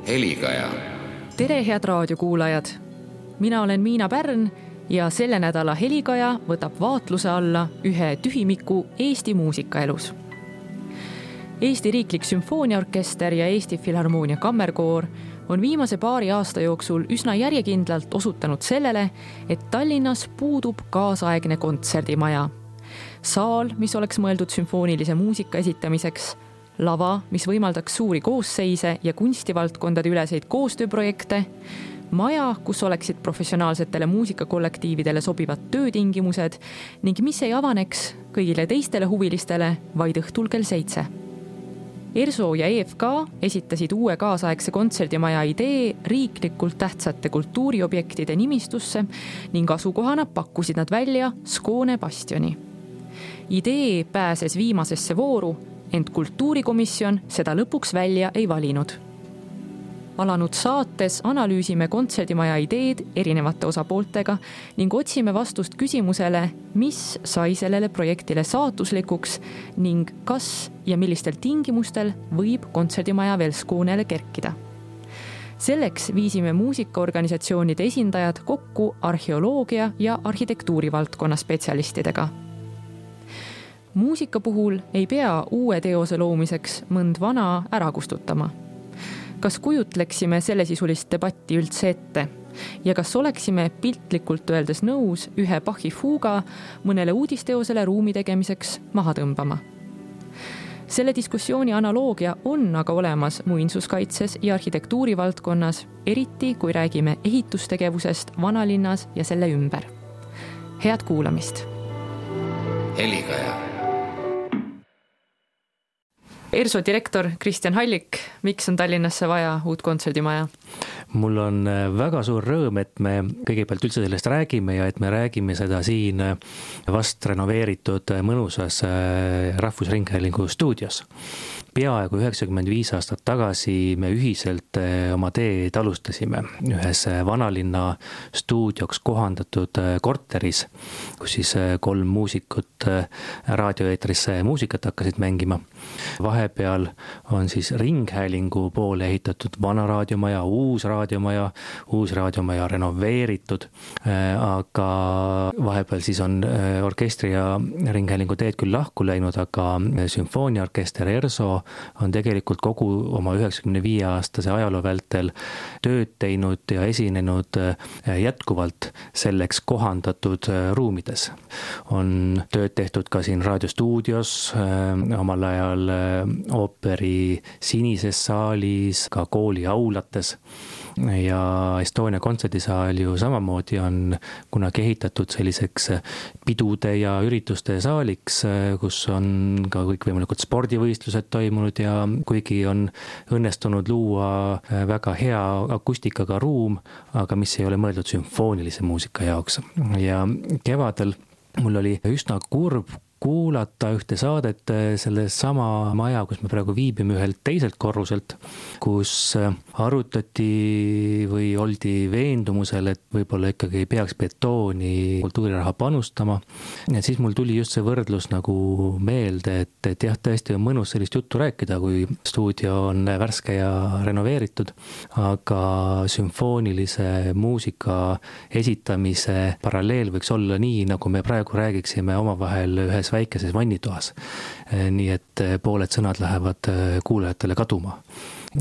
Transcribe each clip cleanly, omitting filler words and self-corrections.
Helikaja. Tere, head raadiokuulajad! Mina olen Miina Pärn ja selle nädala Helikaja võtab vaatluse alla ühe tühimiku Eesti muusikaelus. Eesti Riiklik Sümfooniaorkester ja Eesti Filharmoonia Kammerkoor on viimase paari aasta jooksul üsna järjekindlalt osutanud sellele, et Tallinnas puudub kaasaegne kontserdimaja. Saal, mis oleks mõeldud sümfoonilise muusika esitamiseks, lava, mis võimaldaks suuri koosseise ja kunstivaldkondade üleseid koostööprojekte, maja, kus oleksid professionaalsetele muusikakollektiividele sobivad töötingimused ning mis ei avaneks kõigile teistele huvilistele vaid õhtul kell 7. ERSO ja EFK esitasid uue kaasaegse kontserdimaja idee riiklikult tähtsate kultuuriobjektide nimistusse ning asukohana pakkusid nad välja Skoone bastioni. Idee pääses viimasesse vooru, ent kultuurikomisjon seda lõpuks välja ei valinud. Alanud saates analüüsime kontserdimaja ideed erinevate osapooltega ning otsime vastust küsimusele, mis sai sellele projektile saatuslikuks ning kas ja millistel tingimustel võib kontserdimaja veel Skoonele kerkida. Selleks viisime muusikaorganisatsioonide esindajad kokku arheoloogia ja arhitektuurivaldkonna spetsialistidega. Muusika puhul ei pea uue teose loomiseks mõnd vana ära kustutama. Kas kujutleksime sellesisulist debatti üldse ette ja kas oleksime piltlikult öeldes nõus ühe Bachi fuuga mõnele uudisteosele ruumi tegemiseks maha tõmbama? Selle diskussiooni analoogia on aga olemas muinsuskaitses ja arhitektuuri valdkonnas, eriti kui räägime ehitustegevusest vanalinnas ja selle ümber. Head kuulamist! Helikaja. ERSO direktor Kristjan Hallik, miks on Tallinnasse vaja uut kontserdimaja? Mul on väga suur rõõm, et me kõigepealt üldse sellest räägime ja et me räägime seda siin vast renoveeritud mõnusas Rahvusringhäälingu stuudios. Peaaegu 95 aastat tagasi me ühiselt oma teed alustasime ühes vanalinna stuudioks kohandatud korteris, kus siis 3 muusikut raadioeetrisse muusikat hakkasid mängima. Vahepeal on siis Ringhäälingu poole ehitatud vana raadiomaja, uus raadiomaja renoveeritud, aga vahepeal siis on orkestri ja Ringhäälingu teed küll lahku läinud, aga sümfooniaorkester ERSO on tegelikult kogu oma 95 aastase ajaloo vältel tööd teinud ja esinenud jätkuvalt selleks kohandatud ruumides. On tööd tehtud ka siin raadiostuudios, omal ajal ooperi Sinises saalis, ka kooli aulates ja Estonia kontserdisaal ju samamoodi on kunagi ehitatud selliseks pidude ja ürituste saaliks, kus on ka kõikvõimalikud spordivõistlused toimunud ja kuigi on õnnestunud luua väga hea akustikaga ruum, aga mis ei ole mõeldud sümfoonilise muusika jaoks. Ja kevadel mul oli üsna kurb kuulata ühte saadet selle sama maja, kus me praegu viibime ühelt teiselt korruselt, kus arutati või oldi veendumusel, et võib-olla ikkagi ei peaks betooni kultuuriraha panustama. Ja siis mul tuli just see võrdlus nagu meelde, et jah, tõesti on mõnus sellist juttu rääkida, kui stuudio on värske ja renoveeritud, aga sümfoonilise muusika esitamise paralleel võiks olla nii, nagu me praegu räägiksime omavahel ühes väikeses vannitoas. Nii et pooled sõnad lähevad kuulajatele kaduma.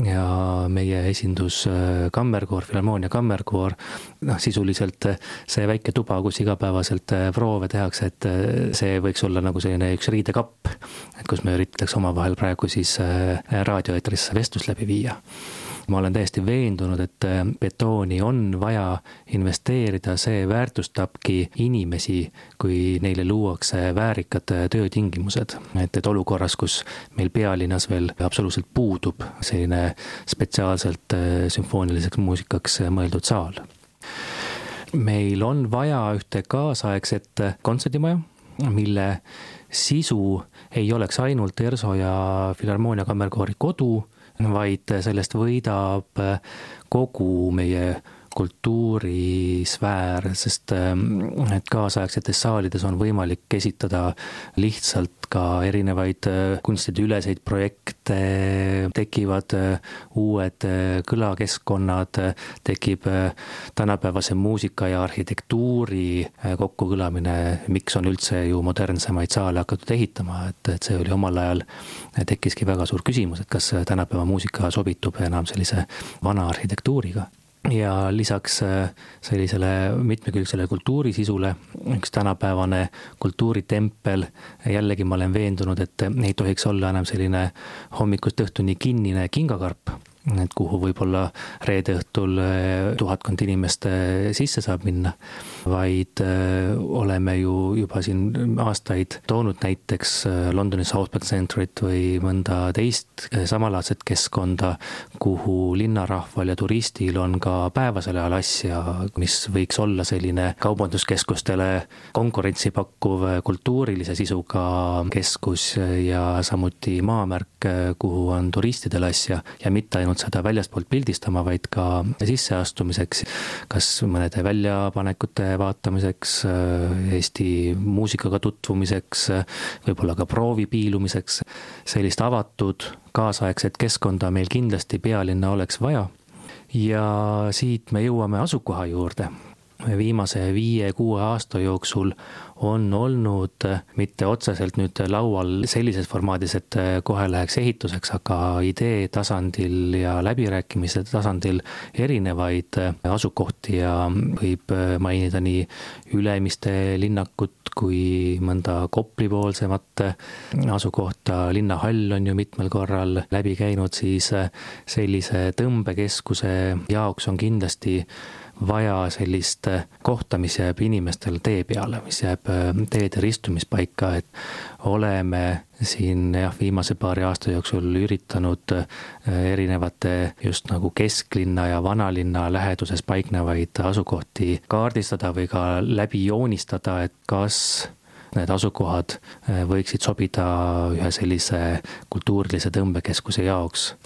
Ja meie esindus Kammerkoor, Filharmoonia Kammerkoor, sisuliselt see väike tuba, kus igapäevaselt proove tehakse, et see võiks olla nagu selline üks riidekapp, kus me üritaks omavahel praegu siis raadioeetrisse vestlust läbi viia. Ma olen täiesti veendunud, et betooni on vaja investeerida, see väärtustabki inimesi, kui neile luuakse väärikad töötingimused. Et olukorras, kus meil pealinnas veel absoluutselt puudub selline spetsiaalselt sümfooniliseks muusikaks mõeldud saal. Meil on vaja ühte kaasaegset kontserdimaja, mille sisu ei oleks ainult ERSO ja Filharmoonia Kammerkoori kodu, vaid sellest võidab kogu meie kultuurisfäär, sest et kaasaegsetes saalides on võimalik esitada lihtsalt ka erinevaid kunstide üleseid projekte, tekivad uued kõlakeskkonnad, tekib tänapäevase muusika ja arhitektuuri kokkukõlamine, miks on üldse ju modernsemaid saale hakatud ehitama, et see oli omal ajal, tekkiski väga suur küsimus, et kas tänapäeva muusika sobitub enam sellise vana arhitektuuriga. Ja lisaks sellisele mitmekülgsele kultuurisisule üks tänapäevane kultuuritempel, jällegi ma olen veendunud, et ei tohiks olla enam selline hommikust õhtuni kinnine kingakarp, et kuhu võib-olla reede õhtul 1000 inimest sisse saab minna, vaid oleme ju juba siin aastaid toonud näiteks Londoni South Bank Centrit või mõnda teist samalaadset keskkonda, kuhu linnarahval ja turistil on ka päevasel ajal asja, mis võiks olla selline kaubanduskeskustele konkurentsi pakkuv kultuurilise sisuga keskus ja samuti maamärk, kuhu on turistidel asja ja mitte ainult seda väljastpoolt pildistama, vaid ka sisseastumiseks, kas mõnede väljapanekute vaatamiseks, Eesti muusikaga tutvumiseks, võib-olla ka proovi piilumiseks. Sellist avatud kaasaegset keskkonda meil kindlasti pealinna oleks vaja. Ja siit me jõuame asukoha juurde. Viimase 5-6 aasta jooksul on olnud mitte otseselt nüüd laual sellises formaadis, et kohe läheks ehituseks, aga idee tasandil ja läbirääkimise tasandil erinevaid asukohti ja võib mainida nii Ülemiste linnakut kui mõnda Koplipoolsemat asukohta. Linnahall on ju mitmel korral läbi käinud, siis sellise tõmbekeskuse jaoks on kindlasti vaja sellist kohta, mis jääb inimestel tee peale, mis jääb teede ristumispaika, et oleme siin viimase paari aasta jooksul üritanud erinevate just nagu kesklinna ja vanalinna läheduses paiknevaid asukohti kaardistada või ka läbi joonistada, et kas need asukohad võiksid sobida ühe sellise kultuurilise tõmbekeskuse jaoks.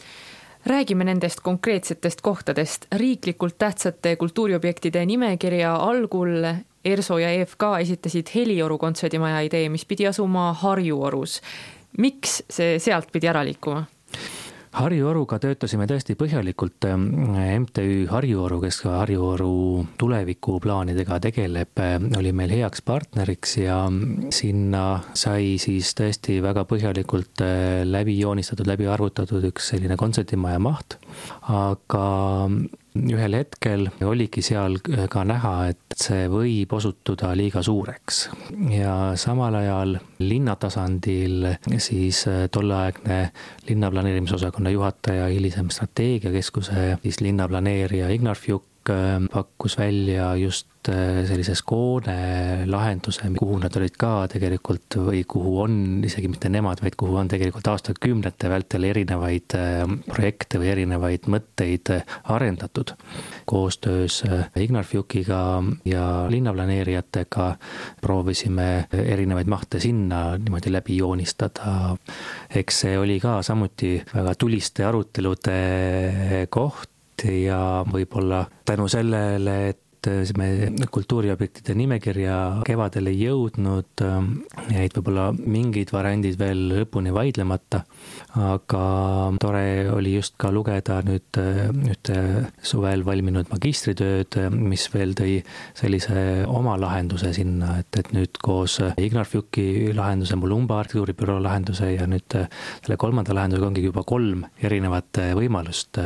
Räägime nendest konkreetsetest kohtadest. Riiklikult tähtsate kultuuriobjektide nimekirja algul ERSO ja EFK esitasid Helioru kontserdimaja idee, mis pidi asuma Harjuorus. Miks see sealt pidi ära liikuma? Harjuoruga töötasime tõesti põhjalikult. MTÜ Harjuoru, kes ka Harjuoru tulevikuplaanidega tegeleb, oli meil heaks partneriks ja sinna sai siis tõesti väga põhjalikult läbi joonistatud, läbi arvutatud üks selline kontserdimaja maht, aga ühel hetkel oligi seal ka näha, et see võib osutuda liiga suureks ja samal ajal linnatasandil siis tolleaegne linnaplaneerimisosakonna juhataja, hilisem strateegiakeskuse siis linnaplaneerija Ignar Fjuk pakkus välja just sellises koone lahenduse, kuhu nad olid ka tegelikult või kuhu on isegi mitte nemad, vaid kuhu on tegelikult aastakümnete vältel erinevaid projekte või erinevaid mõtteid arendatud. Koostöös Ignar Fjukiga ja linnaplaneerijatega proovisime erinevaid mahte sinna niimoodi läbi joonistada. Eks see oli ka samuti väga tuliste arutelude koht ja võib-olla tänu sellele, et me kultuuriobjektide nimekirja kevadel ei jõudnud, jäid võib-olla mingid variandid veel lõpuni vaidlemata, aga tore oli just ka lugeda nüüd suvel valminud magistritööd, mis veel tõi sellise oma lahenduse sinna, et nüüd koos Ignar Fjuki lahenduse, Mulumba arhitektuuribüroo lahenduse ja nüüd selle kolmanda lahendusega ongi juba 3 erinevat võimalust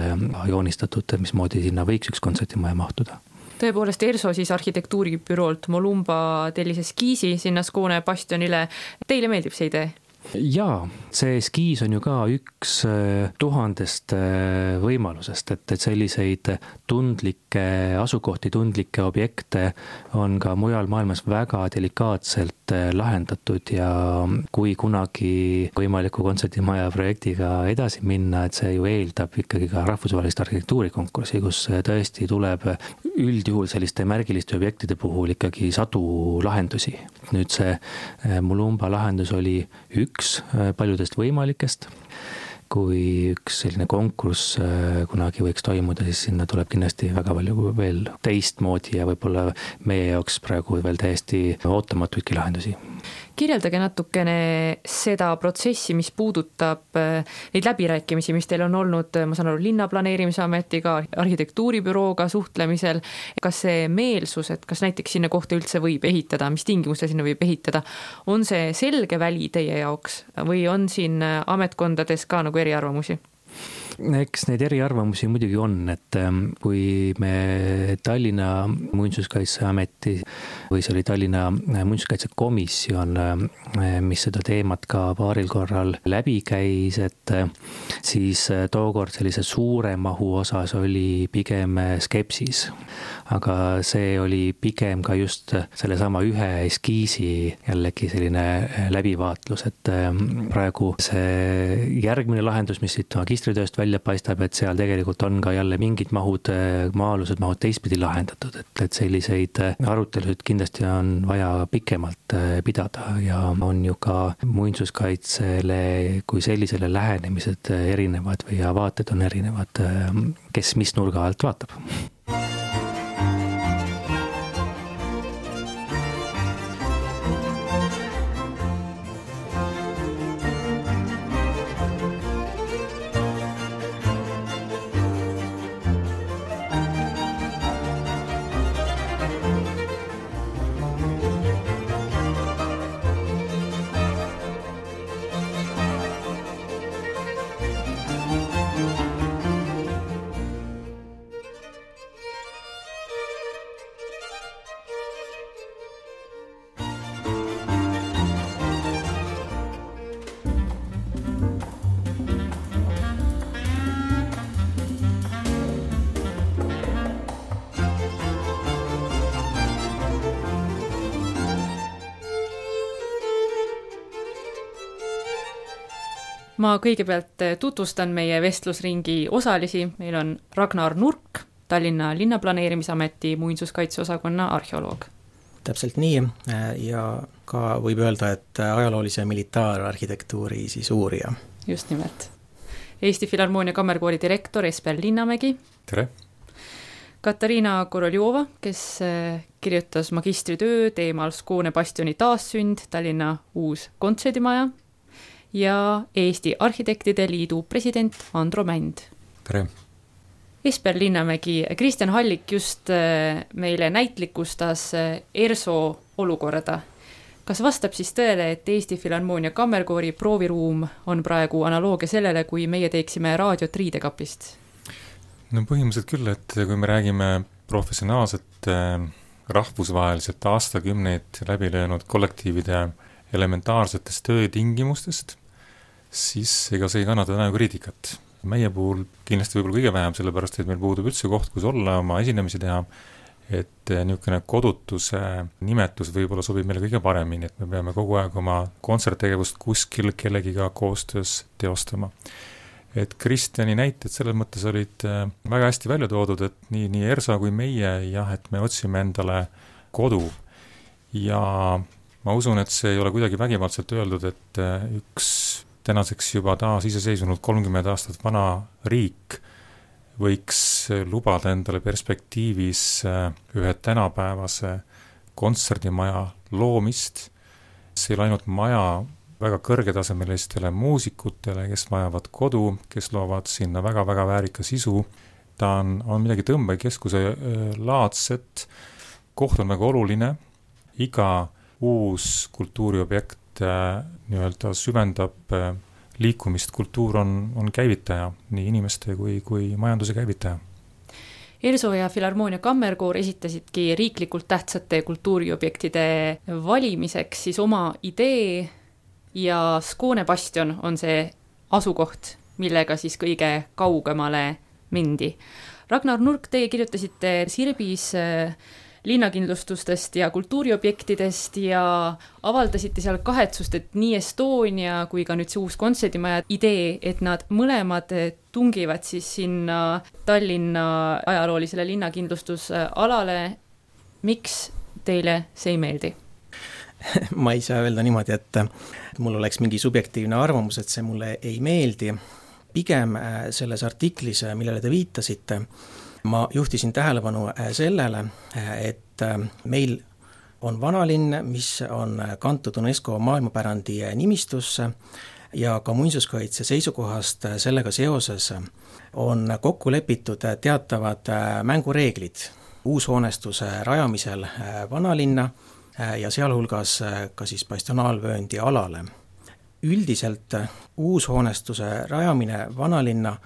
joonistatud, mismoodi sinna võiks üks kontserdimaja mahtuda. Tõepoolest ERSO siis arhitektuuribüroolt Mulumba tellis eskiisi sinna Skoone bastionile. Teile meeldib see idee? Jaa, see eskiis on ju ka üks 1000 võimalusest, et selliseid tundlikke asukohti, tundlikke objekte on ka mujal maailmas väga delikaatselt lahendatud ja kui kunagi võimaliku kontserdimaja projektiga edasi minna, et see ju eeldab ikkagi ka rahvusvahelist arhitektuurikonkurssi, kus tõesti tuleb üldjuhul selliste märgiliste objektide puhul ikkagi sadu lahendusi. Nüüd see Mulumba lahendus oli üks paljudest võimalikest kui üks selline konkurss kunagi võiks toimuda, siis sinna tuleb kindlasti väga palju veel teistmoodi ja võib-olla meie jaoks praegu veel täiesti ootamatuidki lahendusi. Kirjeldage natukene seda protsessi, mis puudutab neid läbirääkimisi, mis teil on olnud, ma saan aru, linnaplaneerimisametiga, arhitektuuribürooga suhtlemisel. Kas see meelsus, et kas näiteks sinna kohta üldse võib ehitada, mis tingimuste sinna võib ehitada, on see selge väli teie jaoks või on siin ametkondades ka nagu eriarvamusi? Eks neid eriarvamusi muidugi on, et kui me Tallinna Muinsuskaitseameti või see oli Tallinna Muinsuskaitsekomisjon, mis seda teemat ka paaril korral läbi käis, et siis tookord sellise suure mahu osas oli pigem skepsis. Aga see oli pigem ka just sellesama ühe eskiisi jällegi selline läbivaatlus, et praegu see järgmine lahendus, mis siit magistritööst välja paistab, et seal tegelikult on ka jälle mingid mahud, maa-alused mahud teistpidi lahendatud, et selliseid arutelusid kindlasti on vaja pikemalt pidada ja on ju ka muinsuskaitsele kui sellisele lähenemised erinevad või vaated on erinevad, kes mis nurga alt vaatab. Ma kõigepealt tutvustan meie vestlusringi osalisi. Meil on Ragnar Nurk, Tallinna linnaplaneerimisameti muinsuskaitseosakonna arheoloog. Täpselt nii ja ka võib öelda, et ajaloolise militaararhitektuuri siis uurija. Just nimelt. Eesti Filharmoonia kammerkoori direktor Esper Linnamägi. Tere! Katariina Koroljova, kes kirjutas magistritöö teemal Skoone bastioni taassynd, Tallinna uus kontserdimaja. Ja Eesti Arhitektide Liidu president Andro Mänd. Tere! Esper Linnamägi, Kristjan Hallik just meile näitlikustas ERSO olukorda. Kas vastab siis tõele, et Eesti Filharmoonia kammerkoori prooviruum on praegu analoogia sellele, kui meie teeksime raadiot riidekapist? No põhimõtteliselt küll, et kui me räägime professionaalselt rahvusvaheliselt aastakümneid läbi löönud kollektiivide elementaarsetest töötingimustest, siis ega see ei kannata täna kriitikat. Meie puhul kindlasti võib-olla kõige vähem, sellepärast et meil puudub üldse koht, kus olla, oma esinemisi teha, et niisugune kodutuse nimetus võib-olla sobib meile kõige paremini, et me peame kogu aeg oma kontserttegevust kuskil kellegiga koostöös teostama. Et Kristjani näited selles mõttes olid väga hästi välja toodud, et nii ERSA kui meie, jah, et me otsime endale kodu ja ma usun, et see ei ole kuidagi vägivaldselt öeldud, et üks tänaseks juba taas iseseisvunud 30 aastat vana riik võiks lubada endale perspektiivis ühe tänapäevase kontserdimaja loomist. See ei ole ainult maja väga kõrgetasemelistele muusikutele, kes vajavad kodu, kes loovad sinna väga-väga väärika sisu. Ta on midagi tõmbekeskuse laadset, koht on väga oluline, iga uus kultuuriobjekt nii-öelda süvendab liikumist, kultuur on käivitaja, nii inimeste kui majanduse käivitaja. ERSO ja Filharmoonia kammerkoor esitasidki riiklikult tähtsate kultuuriobjektide valimiseks siis oma idee ja Skoone bastion on see asukoht, millega siis kõige kaugemale mindi. Ragnar Nurk, teie kirjutasite Sirbis linnakindlustustest ja kultuuriobjektidest ja avaldasite seal kahetsust, et nii Estonia kui ka nüüd see uus kontserdimaja idee, et nad mõlemad tungivad siis sinna Tallinna ajaloolisele linnakindlustusalale. Miks teile see ei meeldi? Ma ei saa öelda niimoodi, et mul oleks mingi subjektiivne arvamus, et see mulle ei meeldi. pigem selles artiklis, millele te viitasite, ma juhtisin tähelepanu sellele, et meil on vanalinn, mis on kantud UNESCO maailmapärandi nimistusse ja ka muinsuskaitse seisukohast sellega seoses on kokku lepitud teatavad mängureeglid uushoonestuse rajamisel vanalinna ja sealhulgas ka siis bastionaalvööndi alale. Üldiselt uushoonestuse rajamine vanalinna,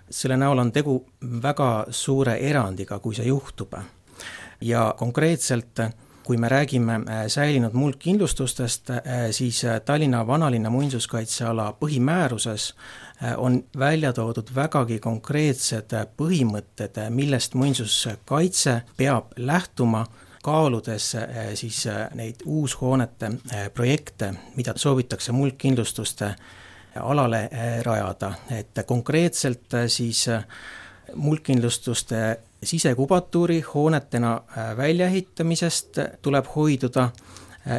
selle näol on tegu väga suure erandiga, kui see juhtub. Ja konkreetselt, kui me räägime säilinud muldkindlustustest, siis Tallinna vanalinna muinsuskaitseala põhimääruses on välja toodud vägagi konkreetsed põhimõtted, millest muinsuskaitse peab lähtuma, kaaludes siis neid uushoonete projekte, mida soovitakse muldkindlustuste alale rajada. Et konkreetselt siis muldkindlustuste sisekubatuuri hoonetena väljaehitamisest tuleb hoiduda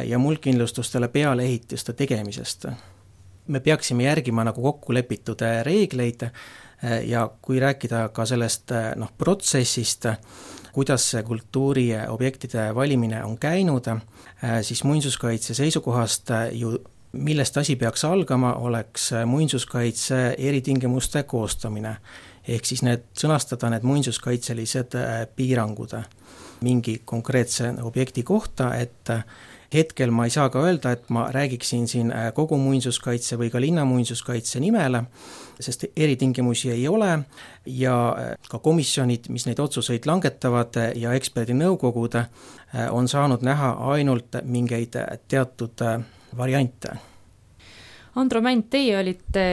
ja muldkindlustustele pealeehituste tegemisest. Me peaksime järgima nagu kokku lepitud reegleid ja kui rääkida ka sellest protsessist, kuidas see kultuuriobjektide valimine on käinud, siis muinsuskaitse seisukohast ju millest asi peaks algama, oleks muinsuskaitse eritingimuste koostamine. Ehk siis sõnastada need muinsuskaitselised piirangud mingi konkreetse objekti kohta, et hetkel ma ei saa ka öelda, et ma räägiksin siin kogu muinsuskaitse või ka linna muinsuskaitse nimele, sest eritingimusi ei ole ja ka komisjonid, mis neid otsuseid langetavad ja eksperdinõukogud on saanud näha ainult mingeid teatud variante. Andro Mänd, teie olite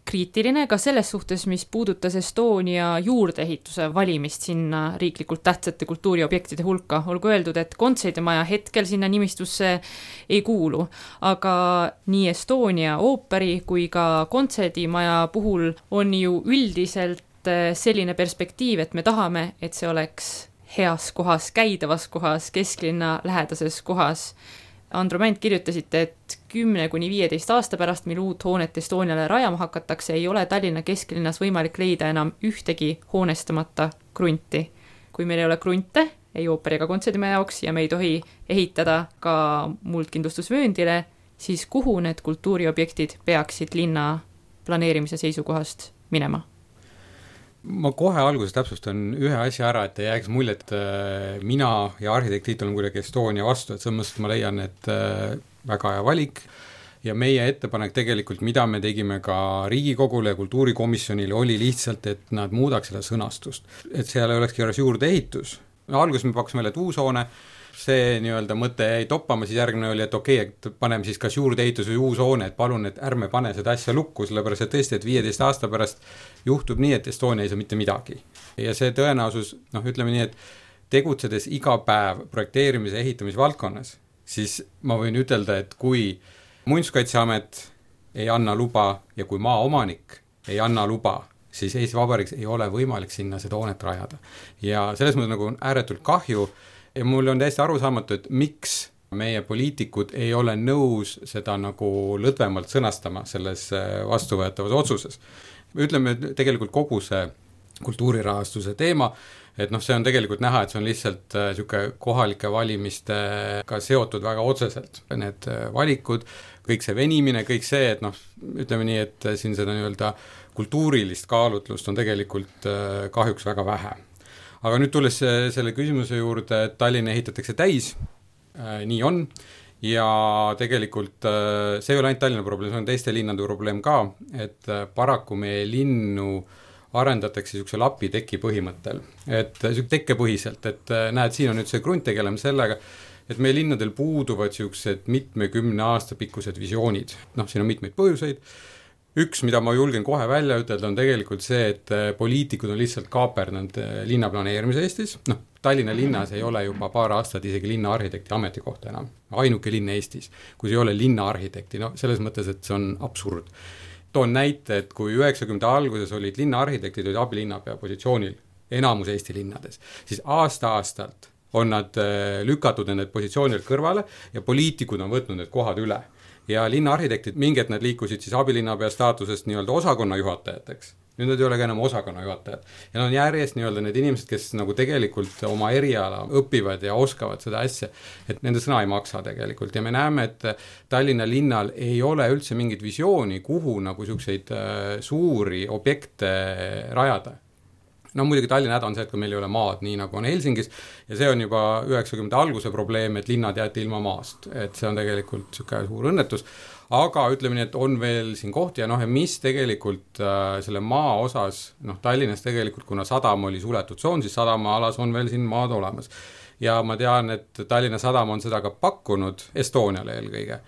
kriitiline ka selles suhtes, mis puudutas Estonia juurdeehituse valimist sinna riiklikult tähtsate kultuuriobjektide hulka. Olgu öeldud, et kontserdimaja hetkel sinna nimistusse ei kuulu, aga nii Estonia ooperi kui ka kontserdimaja puhul on ju üldiselt selline perspektiiv, et me tahame, et see oleks heas kohas, käidavas kohas, kesklinna lähedases kohas. Andro Mänd, kirjutasite, et 10–15 aasta pärast, mil uut hoonet Estoniale rajama hakatakse, ei ole Tallinna kesklinnas võimalik leida enam ühtegi hoonestamata krunti. Kui meil ei ole krunte, ei ooperi ega kontserdimaja jaoks ja me ei tohi ehitada ka muldkindlustusvööndile, siis kuhu need kultuuriobjektid peaksid linna planeerimise seisukohast minema? Ma kohe alguses täpsustan ühe asja ära, et ei jääks mulje, et mina ja arhitekt Tiit olen kuidagi Estonia vastu, et selles mõttes ma leian, et väga hea valik ja meie ettepanek tegelikult, mida me tegime ka Riigikogule ja kultuurikomisjonile, oli lihtsalt, et nad muudaks seda sõnastust. Et seal ei olekski juurde ehitus. Alguses me pakusime välja, et uus hoone, see nii-öelda mõte jäi toppama, siis järgmine oli, et okei, et paneme siis kas juurde ehitus või uus hoone, et palun, et ärme pane seda asja lukku, sellepärast et tõesti, et 15 aasta pärast juhtub nii, et Estonia ei saa mitte midagi. Ja see tõenäosus, ütleme nii, et tegutsedes iga päev projekteerimise ehitamise valdkonnas, siis ma võin ütelda, et kui Muinsuskaitseamet ei anna luba ja kui maaomanik ei anna luba, siis Eesti Vabariigis ei ole võimalik sinna seda hoonet rajada. Ja selles mõttes nagu on ääretult kahju ja mul on täiesti arusaamatu, et miks meie poliitikud ei ole nõus seda nagu lõdvemalt sõnastama selles vastuvõetavas otsuses. Ütleme tegelikult kogu see kultuurirahastuse teema, et see on tegelikult näha, et see on lihtsalt kohalike valimistega seotud väga otseselt. Need valikud, kõik see venimine, kõik see, et ütleme nii, et siin seda nii-öelda kultuurilist kaalutlust on tegelikult kahjuks väga vähe. Aga nüüd tulles selle küsimuse juurde, et Tallinn ehitatakse täis, nii on, ja tegelikult see ei ole ainult Tallinna probleem, see on teiste linnade probleem ka, et paraku meie linnu arendatakse niisuguse lapiteki põhimõttel, et tekkepõhiselt, et näed, siin on nüüd see grunt tegeleme sellega, et meie linnadel puuduvad niisugused mitmekümne aasta pikkused visioonid, siin on mitmeid põhjuseid. Üks, mida ma julgen kohe välja ütelda, on tegelikult see, et poliitikud on lihtsalt kaaperdanud linnaplaneerimise Eestis. Tallinna linnas ei ole juba paar aastat isegi linnaarhitekti ametikohta enam. Ainuke linn Eestis, kui see ei ole linnaarhitekti, selles mõttes, et see on absurd. Toon näite, et kui 90 alguses olid linnaarhitektid, olid abilinnapea positsioonil enamus Eesti linnades, siis aasta-aastalt on nad lükatud need positsioonil kõrvale ja poliitikud on võtnud need kohad üle. ja linnaarhitektid, mingid nad liikusid siis abilinnapea staatusest nii-öelda osakonna juhatajateks. Nüüd nad ei ole ka enam osakonna juhatajad. Ja nad on järjest nii-öelda need inimesed, kes nagu tegelikult oma eriala õpivad ja oskavad seda asja, et nende sõna ei maksa tegelikult. Ja me näeme, et Tallinna linnal ei ole üldse mingit visiooni, kuhu nagu selliseid suuri objekte rajada. No muidugi Tallinna häda on see, et meil ei ole maad, nii nagu on Helsingis, ja see on juba 90. alguse probleem, et linnad jäeti ilma maast, et see on tegelikult selline suur õnnetus, aga ütleme nii, et on veel siin kohti ja ja mis tegelikult selle maa osas, Tallinnas tegelikult, kuna sadam oli suletud tsoon, siis sadama alas on veel siin maad olemas. Ja ma tean, et Tallinna sadam on seda ka pakkunud Estoniale eelkõige.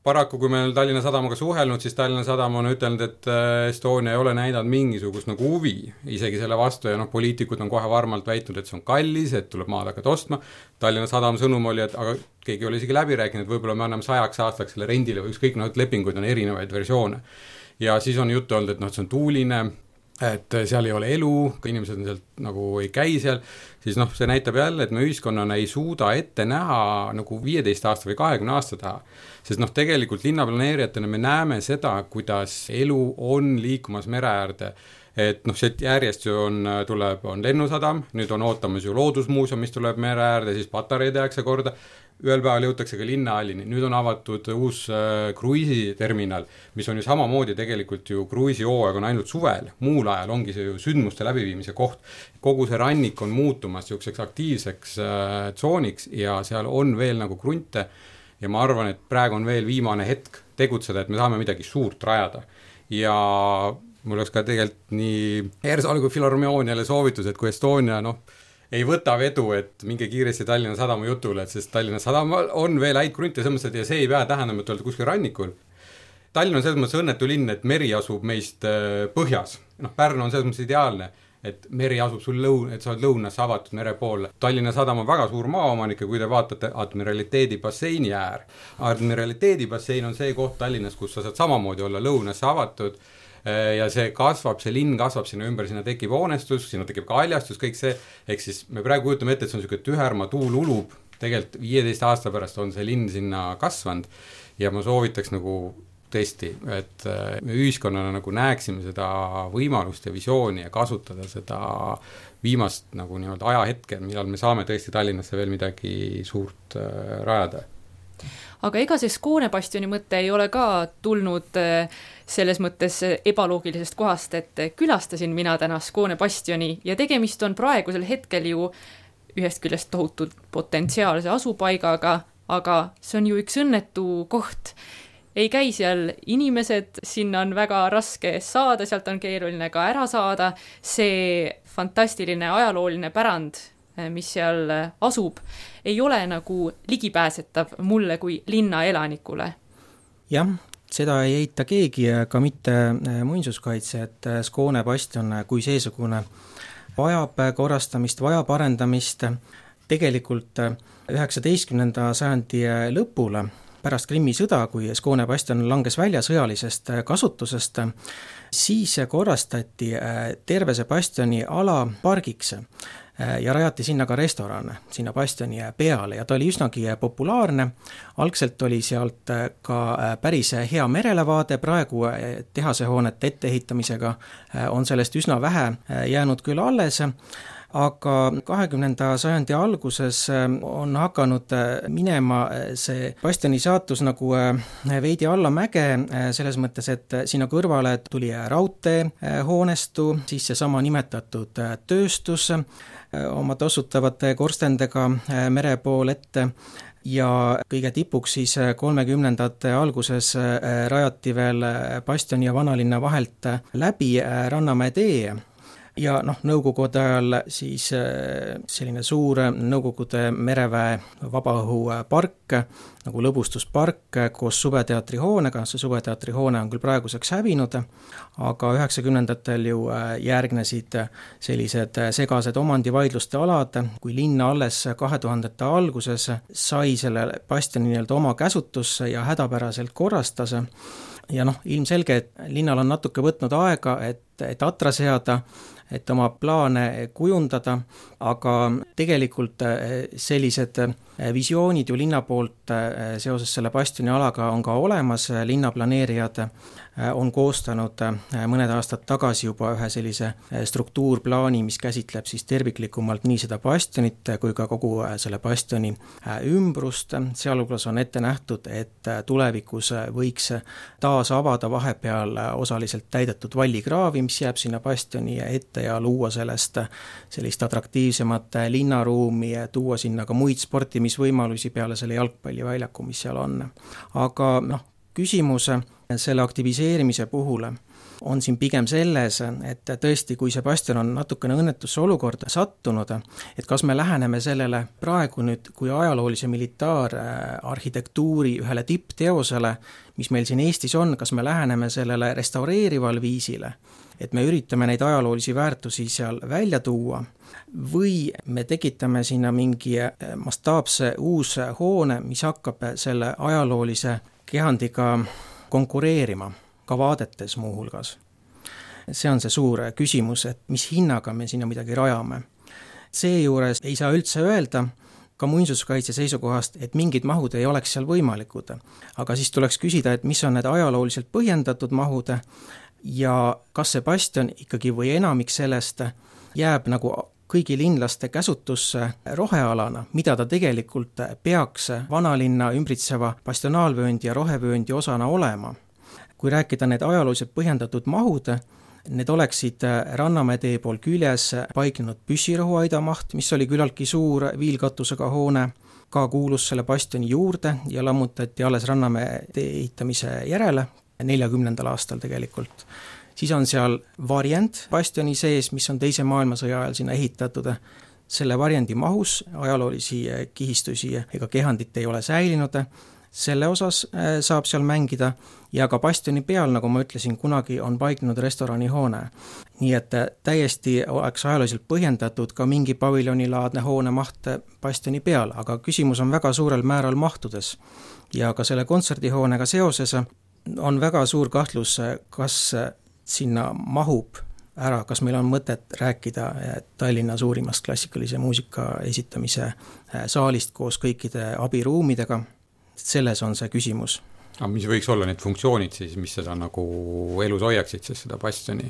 Paraku, kui me Tallinna sadamaga suhelnud, siis Tallinna sadam on ütelnud, et Estonia ei ole näidanud mingisugust nagu huvi isegi selle vastu ja poliitikud on kohe varmalt väitnud, et see on kallis, et tuleb maad hakata ostma. Tallinna sadam sõnum oli, et aga keegi oli isegi läbi rääkinud, võib-olla me anname 100 aastaks selle rendile või ükskõik, lepinguid on erinevaid versioone. Ja siis on juttu olnud, et see on tuuline, et seal ei ole elu, inimesed sealt nagu ei käi seal, siis see näitab jälle, et me ühiskonnana ei suuda ette näha nagu 15 aasta või 20 aasta taha. Sest tegelikult linnaplaneerijatena me näeme seda, kuidas elu on liikumas mere äärde. Et see järjest ju on lennusadam, nüüd on ootamas ju loodusmuuseum, mis tuleb mere äärde, siis Patarei tehakse korda, ühel päeval jõutakse ka linnahallini, nüüd on avatud uus kruiisiterminal, mis on ju samamoodi tegelikult ju kruiisihooaeg on ainult suvel, muul ajal ongi see ju sündmuste läbiviimise koht. Kogu see rannik on muutumas selliseks aktiivseks tsooniks ja seal on veel nagu krunte ja ma arvan, et praegu on veel viimane hetk tegutseda, et me saame midagi suurt rajada. Ja mul oleks ka tegelikult nii Ersaal kui Filharmooniale soovitus, et kui Estonia ei võta vedu, et minge kiiresti Tallinna sadama jutule, et sest Tallinna sadama on veel häid krunte ja see ei pea tähendama, et olete kuskil rannikul. Tallinn on selles mõttes õnnetu linn, et meri asub meist põhjas. Pärnu on selles mõttes ideaalne, et meri asub sul et sa oled lõunas avatud mere poole. Tallinna sadam on väga suur maaomanik ja kui te vaatate Admiraliteedi basseini äär. Admiraliteedi bassein on see koht Tallinnas, kus sa saad samamoodi olla lõunas avatud ja see kasvab, see linn kasvab sinna ümber, sinna tekib hoonestus, sinna tekib ka haljastus, kõik see, ehk siis me praegu kujutame ette, et see on selline tüherma tuul ulub, tegelikult 15 aasta pärast on see linn sinna kasvanud ja ma soovitaks nagu tõesti, et me ühiskonnana nagu näeksime seda võimalust ja visiooni ja kasutada seda viimast nagu nii-öelda ajahetke, millal me saame tõesti Tallinnasse veel midagi suurt rajada. Aga ega see Skåne bastioni mõte ei ole ka tulnud selles mõttes ebaloogilisest kohast, et külastasin mina täna Skåne bastioni ja tegemist on praegusel hetkel ju ühest küljest tohutult potentsiaalse asupaigaga, aga see on ju üks õnnetu koht. Ei käi seal inimesed, sinna on väga raske saada, sealt on keeruline ka ära saada. See fantastiline ajalooline pärand, mis seal asub, ei ole nagu ligipääsetav mulle kui linna elanikule. Jah, seda ei eita keegi, ka mitte muinsuskaitse, et Skåne bastion kui seesugune vajab korrastamist, vajab arendamist. Tegelikult 19. sajandi lõpule pärast Krimmi sõda, kui Skåne bastion langes välja sõjalisest kasutusest, siis korrastati terve see bastioni ala pargiks ja rajati sinna ka restoran, sinna bastioni peale ja ta oli üsnagi populaarne. Algselt oli sealt ka päris hea merelevaade, praegu tehasehoonete etteehitamisega on sellest üsna vähe jäänud küll alles, aga 20. sajandi alguses on hakanud minema see bastioni saatus nagu veidi allamäge, selles mõttes, et sinna kõrvale tuli raudtee hoonestu, siis seesama nimetatud tööstus oma tossutavate korstendega mere pool ette ja kõige tipuks siis 30. alguses rajati veel bastioni ja vanalinna vahelt läbi Rannamäe tee. Ja nõukogude ajal siis selline suur nõukogude mereväe vabaõhupark, nagu lõbustuspark koos Suveteatri hoonega, see Suveteatri hoone on küll praeguseks hävinud, aga 90-ndatel ju järgnesid sellised segased omandivaidluste alad, kui linna alles 2000-ndate alguses sai selle bastioni nii-öelda oma käsutusse ja hädapäraselt korrastas. Ja ilmselge, et linnal on natuke võtnud aega, et et atra seada, et oma plaane kujundada, aga tegelikult sellised visioonid ju linna poolt seoses selle bastionialaga on ka olemas, linnaplaneerijad on koostanud mõned aastad tagasi juba ühe sellise struktuurplaani, mis käsitleb siis terviklikumalt nii seda bastionit kui ka kogu selle bastioni ümbrust. Sealhulgas on ette nähtud, et tulevikus võiks taas avada vahepeal osaliselt täidetud vallikraavi, mis jääb sinna bastioni ette ja luua sellest sellist atraktiivsemat linnaruumi ja tuua sinna ka muid sportimisvõimalusi peale selle jalgpalliväljaku, mis seal on. Aga küsimus selle aktiviseerimise puhul on siin pigem selles, et tõesti, kui see bastion on natukene õnnetusse olukorda sattunud, et kas me läheneme sellele praegu nüüd kui ajaloolise militaararhitektuuri ühele tippteosele, mis meil siin Eestis on, kas me läheneme sellele restaureerival viisile, et me üritame neid ajaloolisi väärtusi seal välja tuua, või me tekitame sinna mingi mastaapse uus hoone, mis hakkab selle ajaloolise kehandiga konkureerima, ka vaadetes muuhulgas. See on see suur küsimus, et mis hinnaga me sinna midagi rajame. Seejuures ei saa üldse öelda ka muinsuskaitse seisukohast, et mingid mahud ei oleks seal võimalikud. Aga siis tuleks küsida, et mis on need ajalooliselt põhjendatud mahud ja kas see bastion ikkagi või enamik sellest jääb nagu kõigi linlaste käsutusse rohealana, mida ta tegelikult peaks vanalinna ümbritseva bastionaalvööndi ja rohevööndi osana olema. Kui rääkida need ajalooliselt põhjendatud mahud, need oleksid Rannamäe tee pool küljes paiknenud püssirõhuaida maht, mis oli küllaltki suur viilkatusega hoone, ka kuulus selle bastioni juurde ja lammutati alles Rannamäe tee ehitamise järele, 40. aastal tegelikult. Siis on seal varjend bastioni sees, mis on teise maailmasõja ajal sinna ehitatud. Selle varjendi mahus ajaloolisi kihistusi ega kehandit ei ole säilinud. Selle osas saab seal mängida ja ka bastioni peal, nagu ma ütlesin, kunagi on paiknenud restoranihoone. Nii et täiesti oleks ajalooliselt põhjendatud ka mingi paviljonilaadne hoone maht bastioni peal, aga küsimus on väga suurel määral mahtudes. Ja ka selle kontserdihoonega seoses on väga suur kahtlus, kas sinna mahub ära, kas meil on mõtet rääkida Tallinna suurimast klassikalise muusika esitamise saalist koos kõikide abiruumidega. Selles on see küsimus. Aga mis võiks olla need funktsioonid siis, mis seda nagu elus hoiaksid, siis seda bastioni?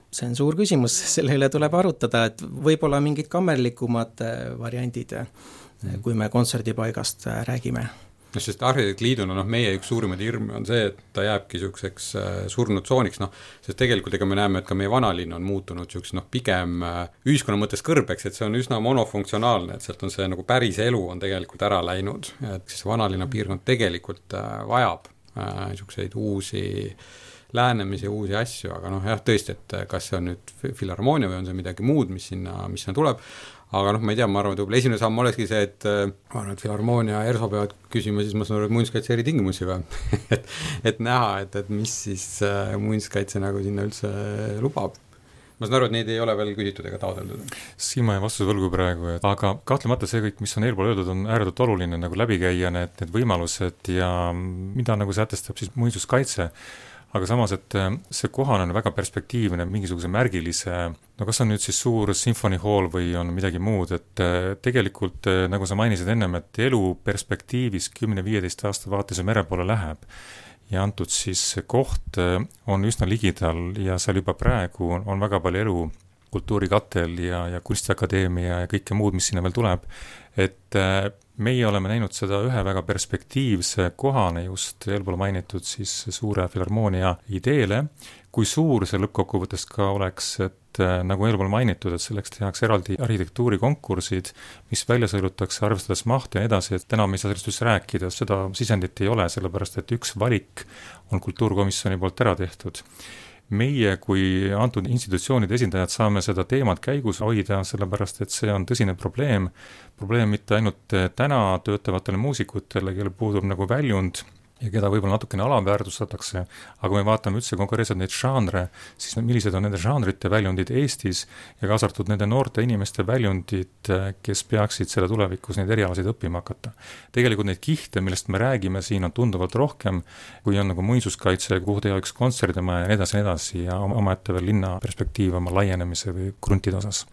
See on suur küsimus, selle üle tuleb arutada, et võib-olla mingid kammerlikumad variandid, kui me kontserdipaigast räägime. Sest arhitektliiduna meie üks suurimaid hirme on see, et ta jääbki selliseks surnud tsooniks, sest tegelikult ega me näeme, et ka meie vanalinn on muutunud selliseks pigem ühiskonna mõttes kõrbeks, et see on üsna monofunktsionaalne, et sealt on see nagu päris elu on tegelikult ära läinud, et siis vanallinna piirkond tegelikult vajab selliseid uusi lähenemisi, uusi asju, aga jah, tõesti, et kas see on nüüd filharmoonia või on see midagi muud, mis sinna tuleb. Aga ma ei tea, ma arvan, et võib-olla esimene samm olekski see, et filharmoonia ja ERSO peavad küsima, siis ma saan aru, et muinsuskaitse eritingimusi või et näha, et mis siis muinsuskaitse nagu sinna üldse lubab. Ma saan aru, et neid ei ole veel küsitud ega taodeldud. Siin ma ei vastuse võlgu praegu, aga kahtlemata see kõik, mis on eelpool öeldud, on ääretult oluline nagu läbi käia need võimalused ja mida nagu sätestab siis muinsuskaitse. Aga samas, et see kohane on väga perspektiivne, mingisuguse märgilise, kas on nüüd siis suur symphony hall või on midagi muud, et tegelikult, nagu sa mainisid ennem, et elu perspektiivis 10-15 aasta vaates mere poole läheb ja antud siis koht on üsna ligidal ja seal juba praegu on väga palju elu, kultuurikatel ja kunstiakadeemia ja kõike muud, mis sinna veel tuleb, et meie oleme näinud seda ühe väga perspektiivse kohane just eelpool mainitud siis suure filharmoonia ideele, kui suur see lõppkokkuvõttes ka oleks, et nagu eelpool mainitud, et selleks tehakse eraldi arhitektuurikonkursid, mis välja sõilutakse, arvestades mahtu ja edasi, et täna me ei saa sellest üldse rääkida, seda sisendit ei ole, sellepärast et üks valik on kultuurkomisjoni poolt ära tehtud. Meie kui antud institutsioonide esindajad saame seda teemat käigus hoida, sellepärast et see on tõsine probleem mitte ainult täna töötavatele muusikutele, kellel puudub nagu väljund ja keda võib-olla natukene alaväärtustatakse, aga kui me vaatame üldse konkreetselt neid žanre, siis millised on nende žanrite väljundid Eestis ja kaasa arvatud nende noorte inimeste väljundid, kes peaksid selle tulevikus neid erialasid õppima hakata. Tegelikult neid kihte, millest me räägime, siin on tunduvalt rohkem, kui on nagu muinsuskaitse, kuhu teha üks kontserdimaja ja nii edasi ja omaette veel linna perspektiiv oma laienemise või kruntide osas.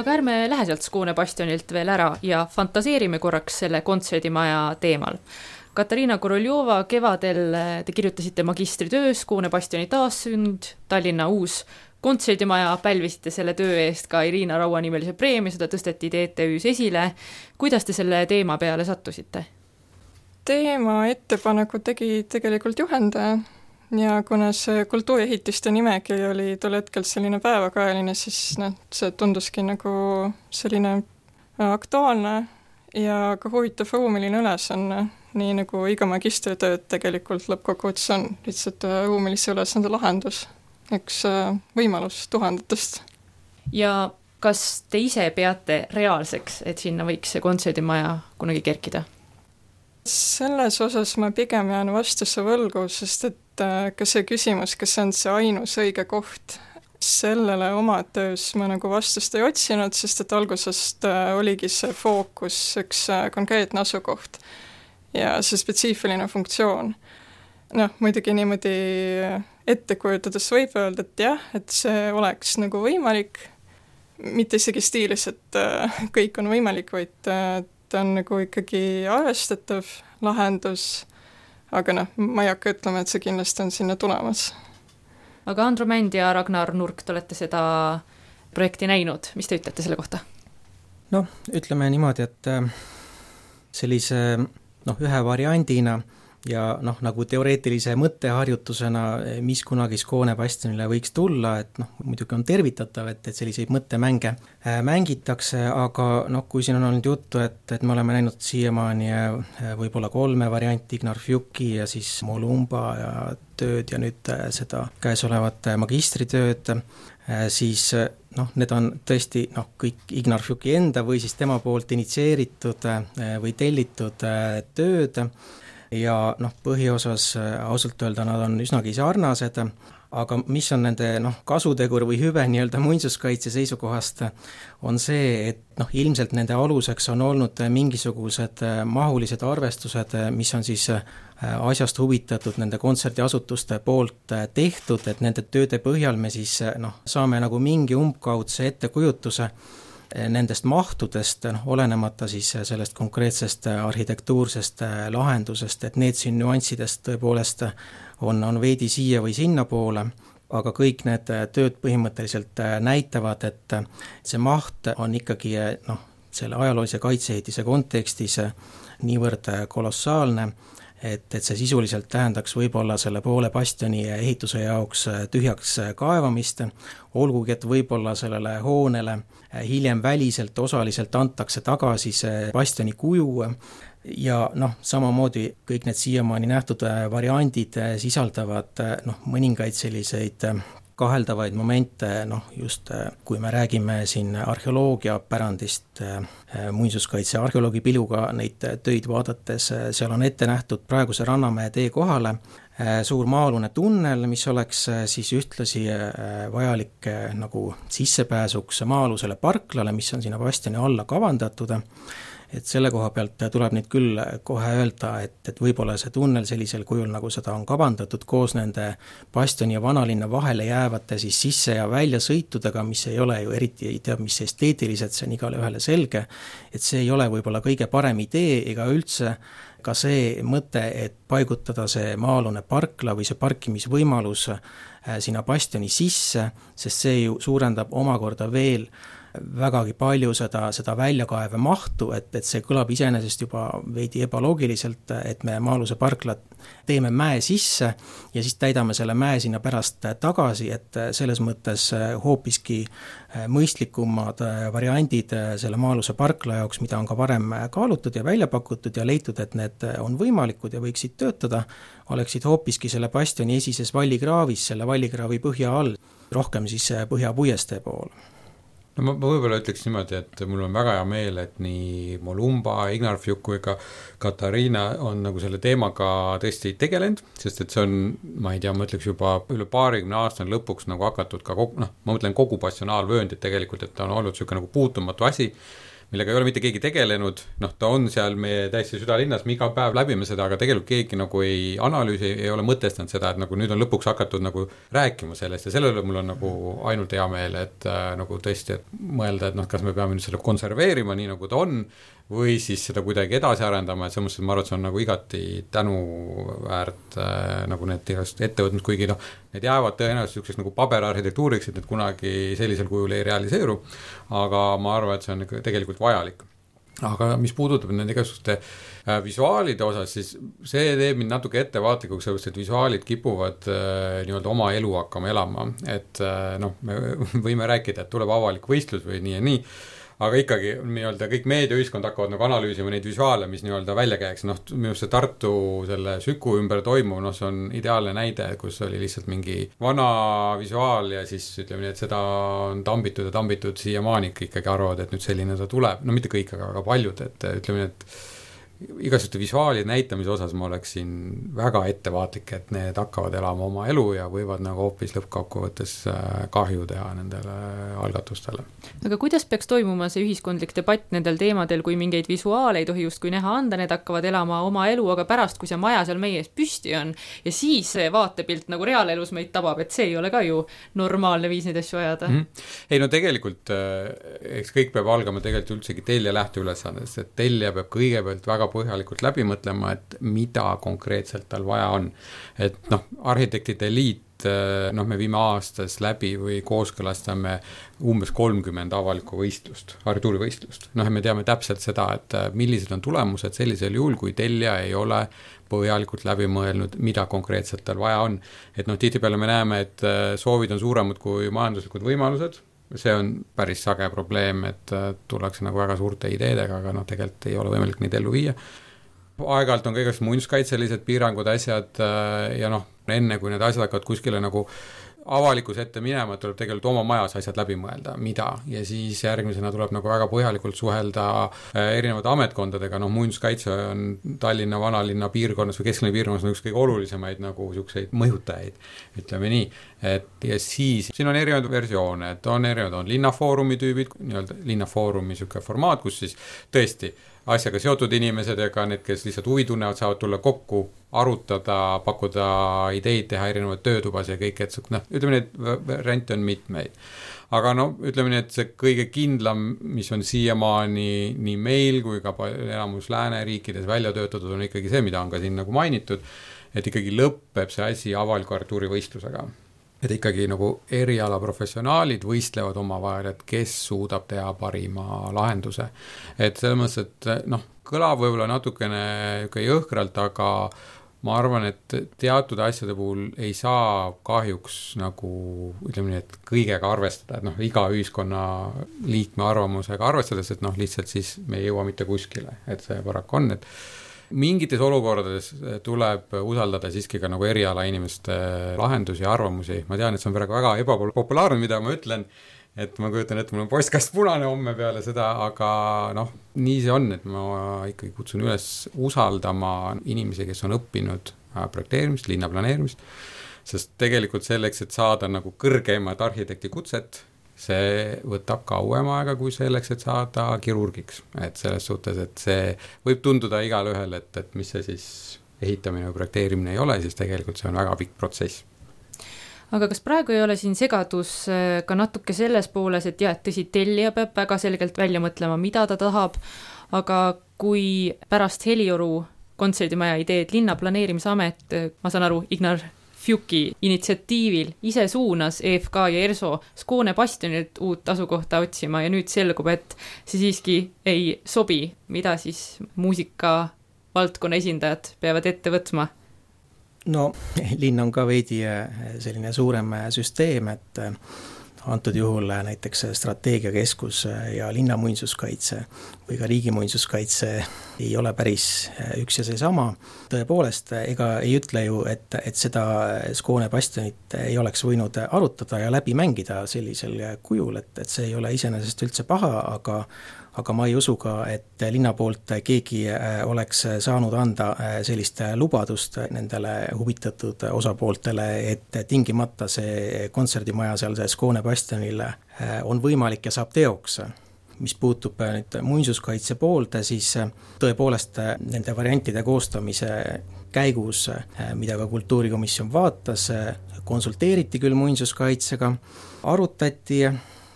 Aga ärme lähe sealt Skåne bastionilt veel ära ja fantaseerime korraks selle kontserdimaja teemal. Katariina Koroljova, kevadel te kirjutasite magistritöö Skåne bastioni taassünd, Tallinna uus kontserdimaja, pälvisite selle töö eest ka Irina Raua nimelise preemia, seda tõsteti TTÜs esile. Kuidas te selle teema peale sattusite? Teema ettepaneku tegi tegelikult juhendaja ja kuna see kultuuriehitiste nimekiri oli tol hetkel selline päevakajaline, siis see tunduski nagu selline aktuaalne ja ka huvitav ruumiline ülesanne, nii nagu iga magistritööd tegelikult lõppkokkuvõttes on, lihtsalt ruumilise ülesande lahendus, üks võimalus tuhandetest. Ja kas te ise peate reaalseks, et sinna võiks see kontserdimaja kunagi kerkida? Selles osas ma pigem jään vastuse võlgu, sest et ka see küsimus, kas on see ainus õige koht, sellele oma töös ma nagu vastust ei otsinud, sest et algusest oligi see fookus üks konkreetne asukoht ja see spetsiifiline funktsioon. Muidugi niimoodi ette kujutades võib öelda, et jah, et see oleks nagu võimalik, mitte isegi stiilis, et kõik on võimalik, vaid ta on nagu ikkagi arvestatav lahendus, aga ma ei hakka ütlema, et see kindlasti on sinna tulemas. Aga Andro Mänd ja Ragnar Nurk, te olete seda projekti näinud, mis te ütlete selle kohta? Ütleme niimoodi, et sellise ühe variandina ja nagu teoreetilise mõtteharjutusena, mis kunagi Skåne bastionile võiks tulla, et muidugi on tervitatav, et selliseid mõttemänge mängitakse, aga kui siin on olnud juttu, et me oleme näinud siiamaani võib-olla 3 varianti, Ignar Fjuki ja siis Molumba ja tööd ja nüüd seda käesolevat magistritööd, siis need on tõesti kõik Ignar Fjuki enda või siis tema poolt initsieeritud või tellitud tööd, ja põhiosas ausalt öelda nad on üsnagi sarnased, aga mis on nende kasutegur või hüve nii-öelda muinsuskaitse seisukohast, on see, et ilmselt nende aluseks on olnud mingisugused mahulised arvestused, mis on siis asjast huvitatud nende kontserdiasutuste poolt tehtud, et nende tööde põhjal me siis saame nagu mingi umbkaudse ettekujutuse nendest mahtudest, olenemata siis sellest konkreetsest arhitektuursest lahendusest, et need siin nüanssidest tõepoolest on veidi siia või sinna poole, aga kõik need tööd põhimõtteliselt näitavad, et see maht on ikkagi selle ajaloolise kaitseehitise kontekstis niivõrd kolossaalne, et see sisuliselt tähendaks võib-olla selle poole bastioni ehituse jaoks tühjaks kaevamist, olgugi et võib-olla sellele hoonele hiljem väliselt osaliselt antakse tagasi see bastioni kuju ja samamoodi kõik need siiamaani nähtud variandid sisaldavad mõningaid selliseid kaheldavaid momente, just kui me räägime siin arheoloogia pärandist, muinsuskaitse arheoloogi piluga neid töid vaadates, seal on ette nähtud praeguse Rannamäe tee kohale suur maa-alune tunnel, mis oleks siis ühtlasi vajalik nagu sissepääsuks maa-alusele parklale, mis on sinna bastioni alla kavandatud. Et selle koha pealt tuleb nüüd küll kohe öelda, et võib-olla see tunnel sellisel kujul, nagu seda on kavandatud koos nende bastioni ja vanalinna vahele jäävate siis sisse- ja väljasõitudega, mis ei ole ju eriti, ei tea, mis esteetiliselt, see on igale ühele selge, et see ei ole võib-olla kõige parem idee ega üldse ka see mõte, et paigutada see maa-alune parkla või see parkimisvõimalus sinna bastioni sisse, sest see ju suurendab omakorda veel vägagi palju seda väljakaeve mahtu, et see kõlab iseenesest juba veidi ebaloogiliselt, et me maa-aluse parklat teeme mäe sisse ja siis täidame selle mäe sinna pärast tagasi, et selles mõttes hoopiski mõistlikumad variandid selle maa-aluse parkla jaoks, mida on ka varem kaalutud ja välja pakutud ja leitud, et need on võimalikud ja võiksid töötada, oleksid hoopiski selle bastioni esises vallikraavis, selle vallikraavi põhja all, rohkem siis põhjapuiestee pool. No ma võib-olla ütleks niimoodi, et mul on väga hea meel, et nii Molumba, Ignarfjuk kui ka Katariina on nagu selle teemaga tõesti tegelenud, sest et see on, ma ei tea, ma ütleks juba üle 20 aastane lõpuks nagu hakatud ka ma mõtlen kogu passionaalvööndit tegelikult, et ta on olnud selline nagu puutumatu asi, millega ei ole mitte keegi tegelenud, ta on seal meie täiesti südalinnas, me iga päev läbime seda, aga tegelikult keegi nagu ei analüüsi, ei ole mõtestanud seda, et nagu nüüd on lõpuks hakatud nagu rääkima sellest ja sellele mul on nagu ainult hea meel, et nagu tõesti, et mõelda, et kas me peame nüüd selle konserveerima nii nagu ta on, või siis seda kuidagi edasi arendama, et selles mõttes, et ma arvan, et see on nagu igati tänuväärt nagu need ettevõtmid, kuigi need jäävad tõenäoliselt niisuguseks nagu paberarhitektuuriks, et need kunagi sellisel kujul ei realiseeru, aga ma arvan, et see on tegelikult vajalik. Aga mis puudutab nende igasuguste visuaalide osas, siis see teeb mind natuke ettevaatlikuks, sellepärast, et visuaalid kipuvad nii-öelda oma elu hakkama elama, et me võime rääkida, et tuleb avalik võistlus või nii ja nii, aga ikkagi nii-öelda kõik meediaühiskond hakkavad nagu analüüsima neid visuaale, mis nii-öelda välja käiks. Minu see Tartu selle Süku ümber toimuv, see on ideaalne näide, kus oli lihtsalt mingi vana visuaal ja siis ütleme nii, et seda on tambitud siiamaani ikkagi arvavad, et nüüd selline ta tuleb. Mitte kõik, aga paljud, et ütleme nii, et igasuguste visuaalide näitamise osas ma oleksin väga ettevaatlik, et need hakkavad elama oma elu ja võivad nagu hoopis lõppkokkuvõttes kahju teha nendele algatustele. Aga kuidas peaks toimuma see ühiskondlik debatt nendel teemadel, kui mingeid visuaale ei tohi justkui näha anda, need hakkavad elama oma elu, aga pärast, kui see maja seal meie ees püsti on ja siis see vaatepilt nagu reaalelus meid tabab, et see ei ole ka ju normaalne viis neid asju ajada. Ei tegelikult, eks kõik peab algama tegelikult üldsegi telja lähteülesandest, et telja peab kõigepealt väga põhjalikult läbi mõtlema, et mida konkreetselt tal vaja on. Et arhitektide liit, me viime aastas läbi või kooskõlastame umbes 30 avalikku võistlust, arhitektuurivõistlust. Me teame täpselt seda, et millised on tulemused sellisel juhul, kui telja ei ole põhjalikult läbi mõelnud, mida konkreetselt tal vaja on. Et tihtipeale me näeme, et soovid on suuremad kui majanduslikud võimalused. See on päris sage probleem, et tullakse nagu väga suurte ideedega, aga tegelikult ei ole võimalik neid ellu viia. Aeg-ajalt on kõigest muinsuskaitselised piirangud, asjad ja enne kui need asjad hakkavad kuskile nagu avalikus ette minema, tuleb tegelikult oma majas asjad läbi mõelda, mida, ja siis järgmisena tuleb nagu väga põhjalikult suhelda erinevate ametkondadega, muinsuskaitse on Tallinna vanalinna piirkonnas või kesklinna piirkonnas üks kõige olulisemaid nagu selliseid mõjutajaid, ütleme nii, et ja siis siin on erinevaid versioone, et on linnafoorumi tüübid, nii-öelda linnafoorumi selline formaat, kus siis tõesti asjaga seotud inimesed ega need, kes lihtsalt huvi tunnevad, saavad tulla kokku, arutada, pakkuda ideid, teha erinevaid töötubas ja kõik, et ütleme, need variante on mitmeid. Aga ütleme nii, et see kõige kindlam, mis on siiamaani nii meil kui ka enamus lääneriikides välja töötatud, on ikkagi see, mida on ka siin nagu mainitud, et ikkagi lõpeb see asi avaliku arhitektuurivõistlusega. Et ikkagi nagu eriala professionaalid võistlevad omavahel, et kes suudab teha parima lahenduse. Et selles mõttes, et kõlab võib-olla natukene jõhkralt, aga ma arvan, et teatud asjade puhul ei saa kahjuks nagu, ütleme nii, et kõigega arvestada, et iga ühiskonna liikme arvamusega arvestades, et lihtsalt siis me ei jõua mitte kuskile, et see paraku on, et mingites olukordades tuleb usaldada siiski ka nagu eriala inimeste lahendusi ja arvamusi. Ma tean, et see on praegu väga ebapopulaarne, mida ma ütlen, et ma kujutan, et mul on postkast punane homme peale seda, aga nii see on, et ma ikkagi kutsun üles usaldama inimesi, kes on õppinud projekteerimist, linnaplaneerimist, sest tegelikult selleks, et saada nagu kõrgemat arhitekti kutset, see võtab kauem aega kui selleks, et saada kirurgiks. Et selles suhtes, et see võib tunduda igal ühel, et mis see siis ehitamine või projekteerimine ei ole, siis tegelikult see on väga pikk protsess. Aga kas praegu ei ole siin segadus ka natuke selles pooles, et jah, tõsi, tellija peab väga selgelt välja mõtlema, mida ta tahab, aga kui pärast Helioru kontserdimaja ideed linnaplaneerimisamet, ma saan aru, Ignar Fjuki initsiatiivil ise suunas EFK ja ERSO Skåne bastionilt uut asukohta otsima ja nüüd selgub, et see siiski ei sobi, mida siis muusika valdkonna esindajad peavad ette võtma? No linn on ka veidi selline suurem süsteem, et antud juhul näiteks strateegiakeskus ja linnamuinsuskaitse või ka riigimuinsuskaitse ei ole päris üks ja seesama. Tõepoolest, ega ei ütle ju, et seda Skåne bastionit ei oleks võinud arutada ja läbi mängida sellisel kujul, et see ei ole iseenesest üldse paha, aga ma ei usu ka, et linna poolt keegi oleks saanud anda sellist lubadust nendele huvitatud osapooltele, et tingimata see kontserdimaja seal Skåne bastionile on võimalik ja saab teoks. Mis puutub nüüd muinsuskaitse poolde, siis tõepoolest nende variantide koostamise käigus, mida ka kultuurikomisjon vaatas, konsulteeriti küll muinsuskaitsega, arutati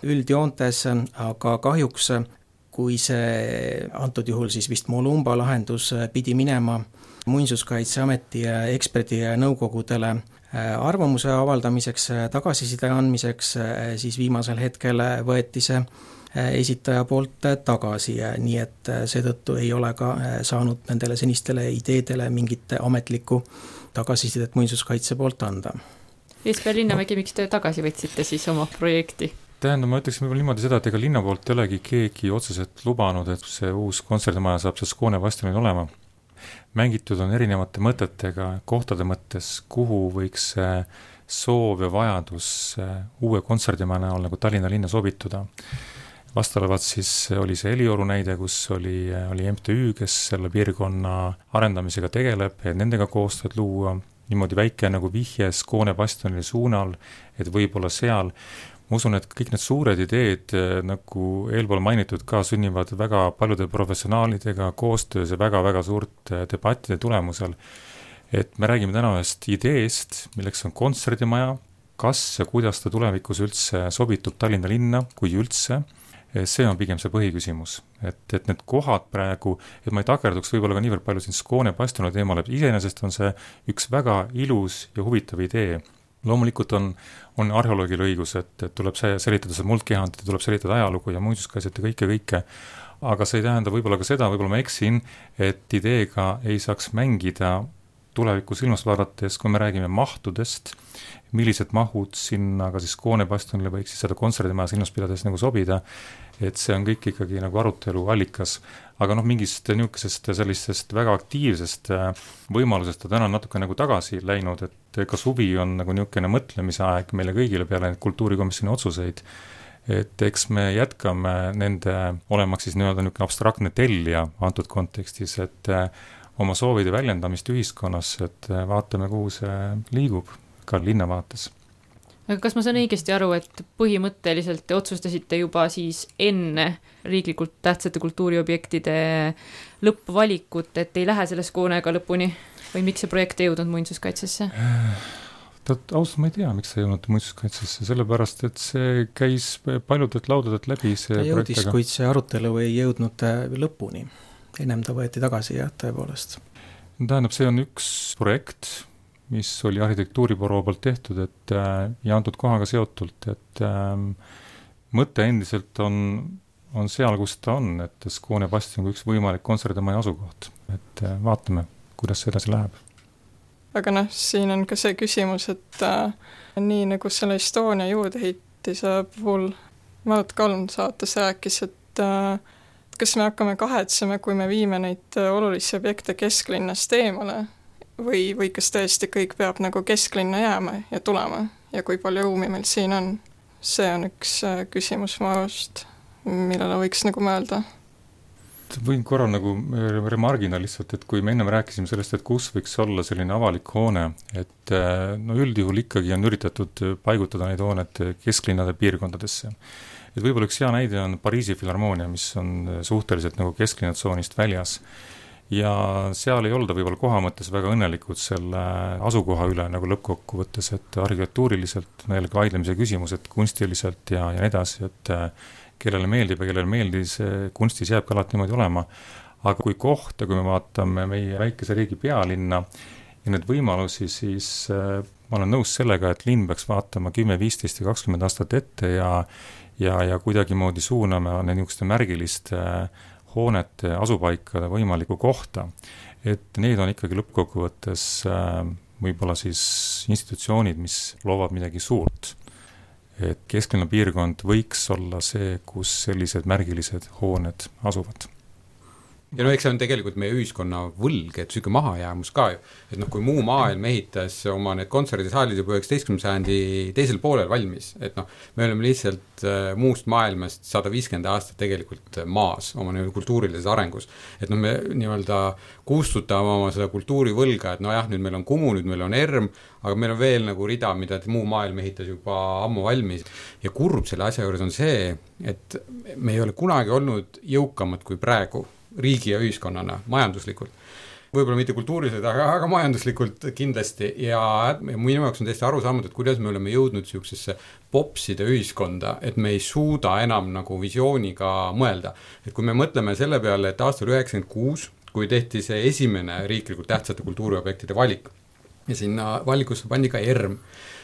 üldjoontes, aga kahjuks kui see antud juhul siis vist Molumba lahendus pidi minema muinsuskaitseameti eksperdi nõukogudele arvamuse avaldamiseks, tagasiside andmiseks, siis viimasel hetkel võeti see esitaja poolt tagasi, nii et seetõttu ei ole ka saanud nendele senistele ideedele mingit ametlikku tagasisidet muinsuskaitse poolt anda. Jesper Linnamägi, miks te tagasi võtsite siis oma projekti? Tähendab, ma ütleksin võib-olla niimoodi seda, et ega linna poolt ei olegi keegi otseselt lubanud, et see uus kontserdimaja saab see Skåne bastionil olema. Mängitud on erinevate mõtetega, kohtade mõttes, kuhu võiks soov ja vajadus uue kontserdimaja näol nagu Tallinna linna sobituda. Vastavalt siis oli see Helioru näide, kus oli MTÜ, kes selle piirkonna arendamisega tegeleb, et nendega koostööd luua, niimoodi väike nagu vihje Skåne bastionile suunal, et võib-olla seal. Ma usun, et kõik need suured ideed, nagu eelpool mainitud ka, sünnivad väga paljude professionaalidega koostöös ja väga-väga suurt debattide tulemusel. Et me räägime täna ühest ideest, milleks on kontserdimaja, kas ja kuidas ta tulevikus üldse sobitub Tallinna linna, kui üldse. See on pigem see põhiküsimus, et need kohad praegu, et ma ei takerduks võib-olla ka niivõrd palju siin Skåne bastioni teemale, et iseenesest on see üks väga ilus ja huvitav idee. Loomulikult on arheoloogil õigus, et tuleb selitada see muldkehand, tuleb selitada ajalugu ja muinsuskaitset ja kõike, aga see ei tähenda võib-olla ka seda, võib-olla ma eksin, et ideega ei saaks mängida tulevikus ilmas vaadates, kui me räägime mahtudest, millised mahud sinna ka siis Skåne bastionile võiks siis seda kontserdimaja silmas pidades nagu sobida, et see on kõik ikkagi nagu arutelu allikas, aga mingist niisugusest sellisest väga aktiivsest võimalusest ta täna natuke nagu tagasi läinud, et ka suvi on nagu niisugune mõtlemise aeg meile kõigile peale kultuurikomisjoni otsuseid, et eks me jätkame nende olemaks siis nii-öelda niisugune abstraktne tellija antud kontekstis, et oma soovide väljendamist ühiskonnas, et vaatame, kuhu see liigub ka linna vaates. Aga kas ma saan õigesti aru, et põhimõtteliselt te otsustasite juba siis enne riiklikult tähtsate kultuuriobjektide lõppvalikut, et ei lähe selle Skånega lõpuni? Või miks see projekt ei jõudnud muinsuskaitsesse? Ausalt ma ei tea, miks see ei jõudnud muinsuskaitsesse, sellepärast, et see käis paljudelt laudadelt läbi see ta jõudis, kuid see arutelu ei jõudnud lõpuni. Ennem ta võeti tagasi, jah, tõepoolest. Tähendab, see on üks projekt, mis oli arhitektuuribüroo poolt tehtud, et ja antud kohaga seotult, et mõte endiselt on seal, kus ta on, et Skåne bastion on üks võimalik kontserdimaja asukoht, et vaatame, kuidas see edasi läheb. Aga siin on ka see küsimus, et nii nagu selle Estonia juurdeehitise puhul Maat Kalm saates rääkis, et kas me hakkame kahetsema, kui me viime neid olulisi objekte kesklinnast eemale või kas tõesti kõik peab nagu kesklinna jääma ja tulema ja kui palju ruumi meil siin on? See on üks küsimus ma arvast, millele võiks nagu mõelda. Võin korra nagu remargina lihtsalt, et kui me ennem rääkisime sellest, et kus võiks olla selline avalik hoone, et no üldjuhul ikkagi on üritatud paigutada neid hooned kesklinnade piirkondadesse. Et võib-olla üks hea näide on Pariisi filharmoonia, mis on suhteliselt nagu kesklinnatsoonist väljas. Ja seal ei olda võib-olla koha mõttes väga õnnelikud selle asukoha üle nagu lõppkokkuvõttes, et arhitektuuriliselt meile vaidlemise küsimus, et kunstiliselt ja nii edasi, et kellele meeldib ja kellele meeldis, kunstis jääb ka alati niimoodi olema. Aga kui kohta, kui me vaatame meie väikese riigi pealinna ja need võimalusi, siis ma olen nõus sellega, et linn peaks vaatama 10, 15 ja 20 aastat ette ja kuidagi moodi suuname niisuguste märgiliste hoonete asupaikade võimaliku kohta. Et need on ikkagi lõppkokkuvõttes võib-olla siis institutsioonid, mis loovad midagi suurt. Et kesklinna piirkond võiks olla see, kus sellised märgilised hooned asuvad. Ja no eks see on tegelikult meie ühiskonna võlg, et süke mahajäämus ka ju. Et noh, kui muu maailm ehitas oma need kontserdisaalid juba 19. sajandi teisel poolel valmis, et noh, me oleme lihtsalt muust maailmast 150 aastat tegelikult maas oma kultuurilises arengus. Et noh, me nii-öelda kustutame oma seda kultuurivõlga, et no jah, nüüd meil on Kumu, nüüd meil on ERM, aga meil on veel nagu rida, mida muu maailm ehitas juba ammu valmis. Ja kurb selle asja juures on see, et me ei ole kunagi olnud jõukamad kui praegu riigi ja ühiskonnana, majanduslikult. Võib-olla mitte kultuuriliselt, aga majanduslikult kindlasti. Ja minu jaoks on täiesti arusaamatu, et kuidas me oleme jõudnud siuksesse popside ühiskonda, et me ei suuda enam nagu visiooniga mõelda. Et kui me mõtleme selle peale, et aastal 96, kui tehti see esimene riiklikult tähtsate kultuuriobjektide valik, ja sinna valikusse pandi ka ERM,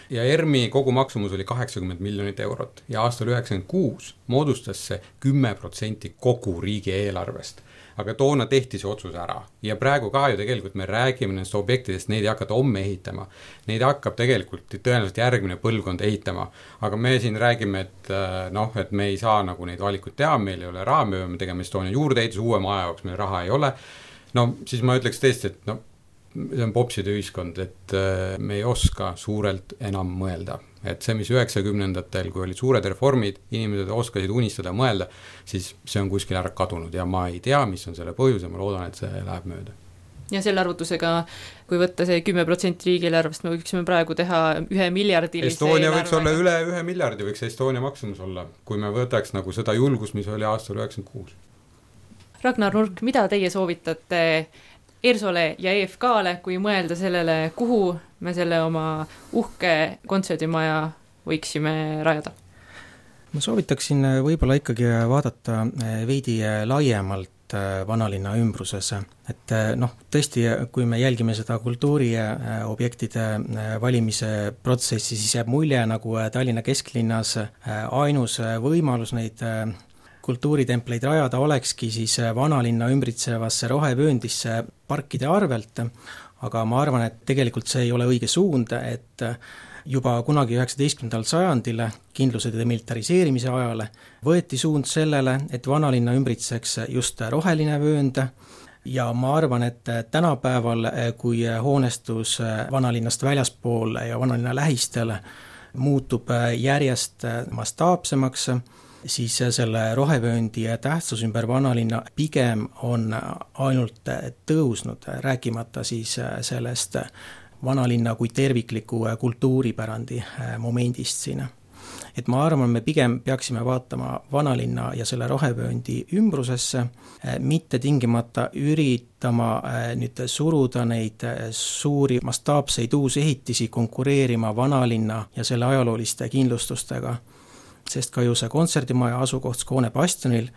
ja ERMi kogu maksumus oli 80 miljonit eurot ja aastal 96 moodustas see 10% kogu riigi eelarvest. Aga toona tehti see otsus ära ja praegu ka ju tegelikult me räägime nendest objektidest, neid ei hakata homme ehitama. Neid hakkab tegelikult tõenäoliselt järgmine põlvkond ehitama, aga me siin räägime, et noh, et me ei saa nagu neid valikuid teha, meil ei ole raha, me peame tegema Estonia juurdeehitus, uue maja jaoks meil raha ei ole. No siis ma ütleks tõesti, et no, see on popside ühiskond, et me ei oska suurelt enam mõelda. Et see, mis 90-ndatel, kui olid suured reformid, inimesed oskasid unistada mõelda, siis see on kuskil ära kadunud ja ma ei tea, mis on selle põhjus ja ma loodan, et see läheb mööda. Ja selle arvutusega, kui võtta see 10% riigieelarvest, me võiksime praegu teha 1 miljardilise Estonia võiks olla üle 1 miljardi, võiks Estonia maksumus olla, kui me võtaks nagu seda julgust, mis oli aastal 96. Ragnar Nurk, mida teie soovitate ERSOle ja EFK-le, kui mõelda sellele, kuhu me selle oma uhke kontserdimaja võiksime rajada? Ma soovitaksin võib-olla ikkagi vaadata veidi laiemalt vanalinna ümbruses. Et noh, tõesti, kui me jälgime seda kultuuriobjektide valimise protsessi, siis jääb mulje nagu Tallinna kesklinnas ainus võimalus neid kultuuritempleid rajada olekski siis vanalinna ümbritsevasse rohevööndisse parkide arvelt, aga ma arvan, et tegelikult see ei ole õige suund, et juba kunagi 19. sajandil kindluse demilitariseerimise ajale võeti suund sellele, et vanalinna ümbritseks just roheline vöönd ja ma arvan, et tänapäeval, kui hoonestus vanalinnast väljaspool ja vanalinna lähistel muutub järjest mastaapsemaks, siis selle rohevööndi tähtsus ümber vanalinna pigem on ainult tõusnud, rääkimata siis sellest vanalinna kui tervikliku kultuuripärandi momendist siin. Et ma arvan, me pigem peaksime vaatama vanalinna ja selle rohevööndi ümbrusesse, mitte tingimata üritama nüüd suruda neid suuri mastaapseid uusehitisi konkureerima vanalinna ja selle ajalooliste kindlustustega. Sest ka ju see kontserdimaja asukoht Skoone bastionil,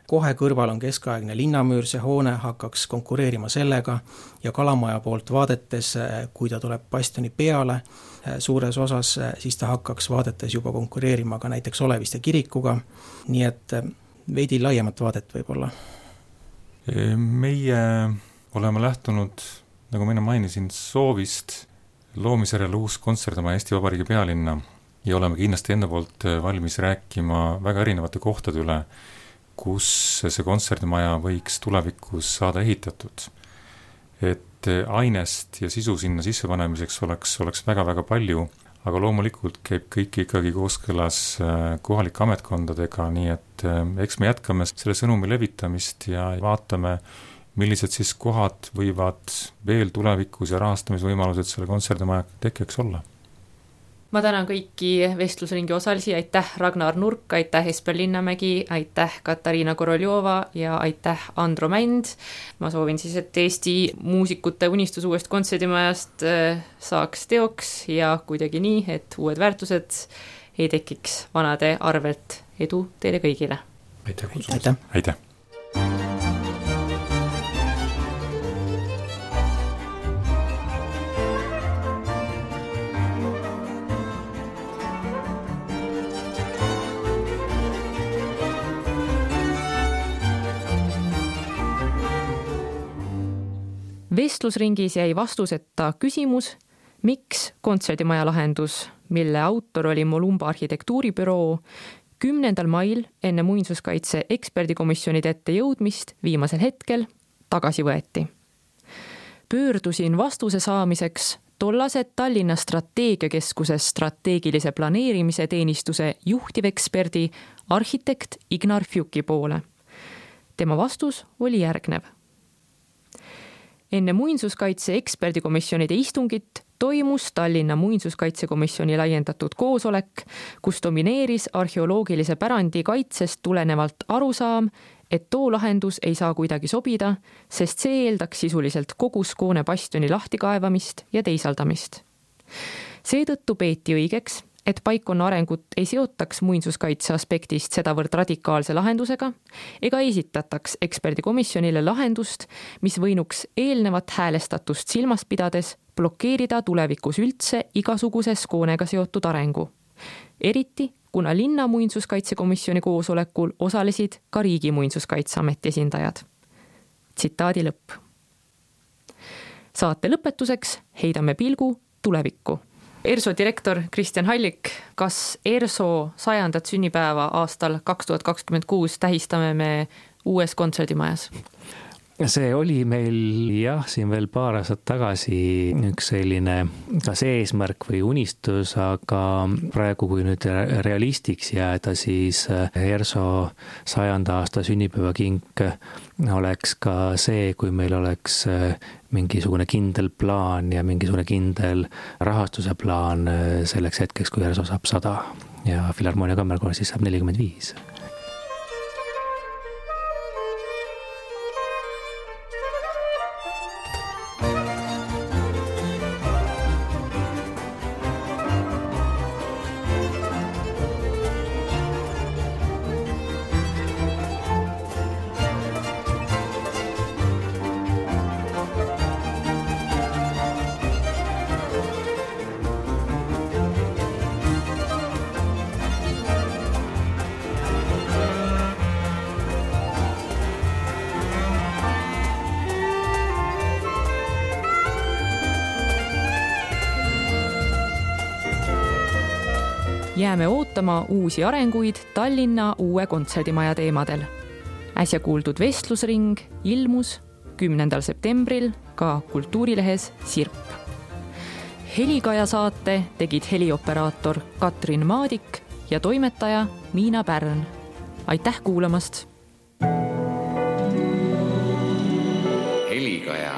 kohe kõrval on keskaegne linnamüür, see hoone hakkaks konkureerima sellega ja Kalamaja poolt vaadetes, kui ta tuleb bastioni peale suures osas, siis ta hakkaks vaadetes juba konkureerima ka näiteks Oleviste kirikuga, nii et veidi laiemat vaadet võib-olla. Meie oleme lähtunud, nagu ma enne mainisin, soovist loomisjärel uus kontserdimaja Eesti Vabariigi pealinna ja oleme kindlasti enda poolt valmis rääkima väga erinevate kohtade üle, kus see kontserdimaja võiks tulevikus saada ehitatud. Et ainest ja sisu sinna sissepanemiseks oleks väga-väga palju, aga loomulikult käib kõik ikkagi kooskõlas kohalike ametkondadega, nii et eks me jätkame selle sõnumi levitamist ja vaatame, millised siis kohad võivad veel tulevikus ja rahastamisvõimalused selle kontserdimaja tekkeks olla. Ma tänan kõiki vestlusringi osalisi, aitäh Ragnar Nurk, aitäh Esper Linnamägi, aitäh Katariina Koroljova ja aitäh Andro Mänd. Ma soovin siis, et Eesti muusikute unistus uuest kontserdimajast saaks teoks ja kuidagi nii, et uued väärtused ei tekiks vanade arvelt. Edu teile kõigile! Aitäh kutsumast! Aitäh! Vestlusringis jäi vastuseta küsimus, miks kontserdimaja lahendus, mille autor oli Molumba arhitektuuribüroo, 10. mail enne muinsuskaitse eksperdikomisjonide ette jõudmist viimasel hetkel tagasi võeti. Pöördusin vastuse saamiseks tollase Tallinna strateegiakeskuses strateegilise planeerimise teenistuse juhtiveksperdi arhitekt Ignar Fjuki poole. Tema vastus oli järgnev. Enne muinsuskaitse eksperdikomisjonide istungit toimus Tallinna muinsuskaitsekomisjoni laiendatud koosolek, kus domineeris arheoloogilise pärandi kaitsest tulenevalt arusaam, et too lahendus ei saa kuidagi sobida, sest see eeldaks sisuliselt kogu Skoone bastioni lahtikaevamist ja teisaldamist. Seetõttu peeti õigeks, et paikkonna arengut ei seotaks muinsuskaitse aspektist sedavõrd radikaalse lahendusega ega esitataks eksperdikomisjonile lahendust, mis võinuks eelnevat häälestatust silmas pidades blokeerida tulevikus üldse igasuguse Skoonega seotud arengu. Eriti, kuna linna muinsuskaitsekomisjoni koosolekul osalesid ka riigi muinsuskaitseameti esindajad. Tsitaadi lõpp. Saate lõpetuseks heidame pilgu tulevikku. ERSO direktor Kristjan Hallik, kas ERSO 100. sünnipäeva aastal 2026 tähistame me uues kontserdimajas? See oli meil siin veel paar aastat tagasi üks selline kas eesmärk või unistus, aga praegu kui nüüd realistiks jääda, siis ERSO 100. aasta sünnipäeva kink oleks ka see, kui meil oleks mingisugune kindel plaan ja mingisugune kindel rahastuse plaan selleks hetkeks, kui ERSO saab 100 ja Filharmoonia Kammerkoor siis saab 45. Jääme ootama uusi arenguid Tallinna uue kontserdimaja teemadel. Äsja kuuldud vestlusring ilmus 10. septembril ka kultuurilehes Sirp. Helikaja saate tegid helioperaator Katrin Maadik ja toimetaja Miina Pärn. Aitäh kuulamast! Helikaja